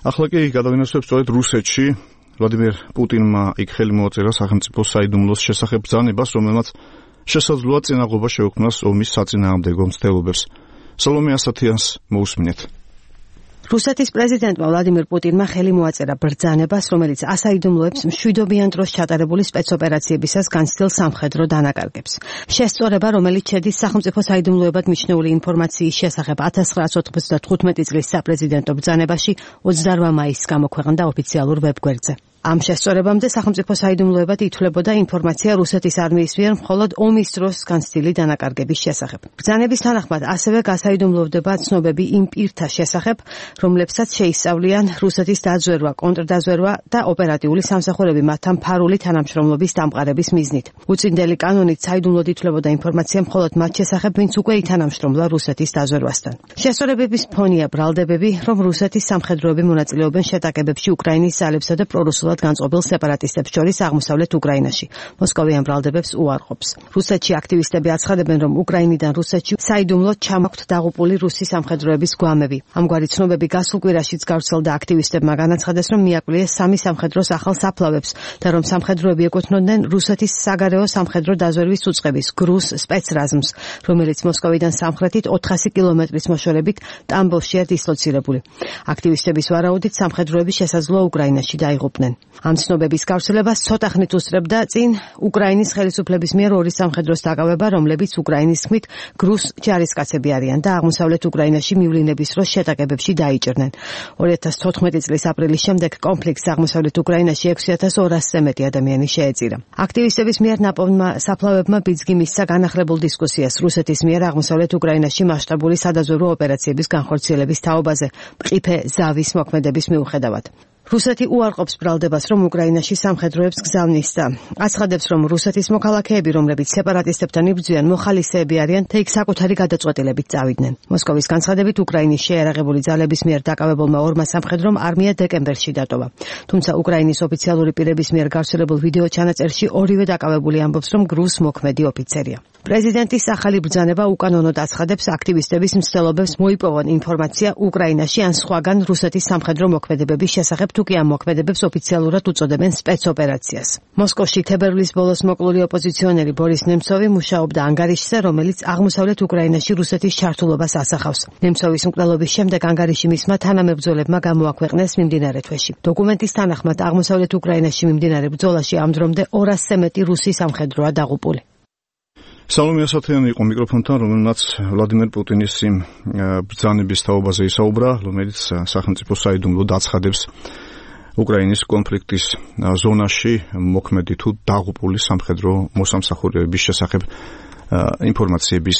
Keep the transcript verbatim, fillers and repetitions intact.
ახლა კი გადავინახავთ სწორედ რუსეთში ვლადიმერ პუტინმა იქ ხელი მოაწერა სახელმწიფო საიდუმლოს შესახებ ბრძანებას, რომელმაც შესაძლოა წინაღობა შეუქმნას ომის საწინააღმდეგო მცდელობებს. სალომე ასათიანს მოусმინეთ. რუსეთის პრეზიდენტმა ვლადიმერ პუტინმა ხელი მოაწერა ბრძანებას, რომელიც ასაიდუმლოებს მშვიდობიან დროს ჩატარებული სპეცოპერაციებისას განცდილ სამხედრო დანაკარგებს. შესწორება, რომელიც შედის სახელმწიფო საიდუმლოებად მიჩნეული ინფორმაციის შესახებ ათას ცხრაასი ოცდათხუთმეტი წლის საპრეზიდენტო ბრძანებაში ოცდაორ მაისს გამოქვეყნდა ოფიციალურ ვებგვერდზე. ამ შესწორებამდე სახელმწიფო საიდუმლოებად ითვლებოდა ინფორმაცია რუსეთის არმიის მიერ მხოლოდ ომის დროს განცდილი დანაკარგების შესახებ. ბრძანების თანახმად ასევე გასაიდუმლოვდება ცნობები იმ პირთა შესახებ, რომლებსაც შეისწავლიან რუსეთის დაზვერვა, კონტრდაზვერვა და ოპერატიული სამსახურები მათთან ფარული თანამშრომლობის დამყარების მიზნით. უწინდელი კანონით საიდუმლოდ ითვლებოდა ინფორმაცია მხოლოდ მათ შესახებ, ვინც უკვე ითანამშრომლა რუსეთის დაზვერვასთან. შესწორებების ფონია ბრალდებები, რომ რუსეთის სამხედროები მონაწილეობენ შეტაკებებში უკრაინის ძალებსა და პრორუსულ განწყობილ სეპარატისტებს შორის აღმოსავლეთ უკრაინაში. მოსკოვი ამ ბრალდებებს უარყოფს. რუსეთში აქტივისტები აცხადებენ, რომ უკრაინიდან რუსეთში საიდუმლოდ ჩამოქვთ დაღუპული რუსი სამხედროების გვამები. ამგვარი ცნობები გასულ კვირაშიც გავრცელდა აქტივისტებმა განაცხადეს, რომ მიაკვლიეს სამი სამხედროს ახალ საფლავებს და რომ სამხედროები ეკუთვნოდნენ რუსეთის საგარეო სამხედრო დაზვერვის უწყების გრუს სპეცრაზმს, რომელიც მოსკოვიდან სამხრეთით ოთხასი კილომეტრის მოშორებით ტამბოვშია დისლოცირებული. აქტივისტების ვარაუდით სამხედროები შესაძლოა უკრაინაში დაიღუპნენ. ამ ცნობების გავრცელებას ცოტა ხნით უსწრებდა წინ უკრაინის ხელისუფლების მიერ ორი სამხედროს დაკავება, რომლებიც უკრაინის თქმით გრუს ჯარისკაცები არიან და აღმოსავლეთ უკრაინაში მივლინების დროს შეტაკებებში დაიჭრნენ. ორი ათას თოთხმეტი წლის აპრილის შემდეგ კონფლიქტს აღმოსავლეთ უკრაინაში ექვსი ათას ორასზე მეტი ადამიანი შეეწირა. აქტივისტების მიერ ნაპოვნმა საფლავებმა ბიძგი მისცა განახლებულ დისკუსიას რუსეთის მიერ აღმოსავლეთ უკრაინაში მასშტაბური სადაზვერვო ოპერაციების განხორციელების თაობაზე, მყიფე ზავის მოქმედების მიუხედავად. რუსეთი უარყოფს ბრალდებას, რომ უკრაინაში სამხედროებს გზავნის და აცხადებს, რომ რუსეთის მოქალაქეები, რომლებიც სეპარატისტებთან იბრძვიან, მოხალისეები არიან და იქ საკუთარი გადაწყვეტილებით წავიდნენ. მოსკოვის განცხადებით, უკრაინის შეიარაღებული ძალების მიერ დაკავებულმა ორმა სამხედრომ არმია დეკემბერში დატოვა. თუმცა უკრაინის ოფიციალური პირების მიერ გავრცელებულ ვიდეო ჩანაწერში ორივე დაკავებული ამბობს, რომ გრუს მოქმედი ოფიცერია. პრეზიდენტის ახალი ბრძანება უკანონოდ აცხადებს აქტივისტების მცდელობებს მოიპოვონ ინფორმაცია უკრაინაში ან სხვაგან რუსეთის სამხედრო მოქმედებების შესახებ, თუკი ამ მოქმედებებს ოფიციალურად უწოდებენ სპეცოპერაციას. მოსკოვში თებერვლის ბოლოს მოკლული ოპოზიციონერი ბორის ნემცოვი მუშაობდა ანგარიშზე, რომელიც აღმოსავლეთ უკრაინაში რუსეთის ჩართულობას ასახავს. ნემცოვის მკვლელობის შემდეგ ანგარიში მისმა თანამებრძოლებმა გამოაქვეყნეს მიმდინარე თვეში. დოკუმენტის თანახმად აღმოსავლეთ უკრაინაში მიმდინარე ბრძოლაში ამ დრომდე ორასზე მეტი რუსი სამხედროა დაღუპული. სალომე ასათიანი იყო მიკროფონთან, რომელმაც ვლადიმერ პუტინის იმ ბრძანების თაობაზე ისაუბრა, რომელიც სახელმწიფო საიდუმლოდ აცხადებს უკრაინის კონფლიქტის ზონაში მოქმედი თუ დაღუპული სამხედრო მოსამსახურეების შესახებ ინფორმაციების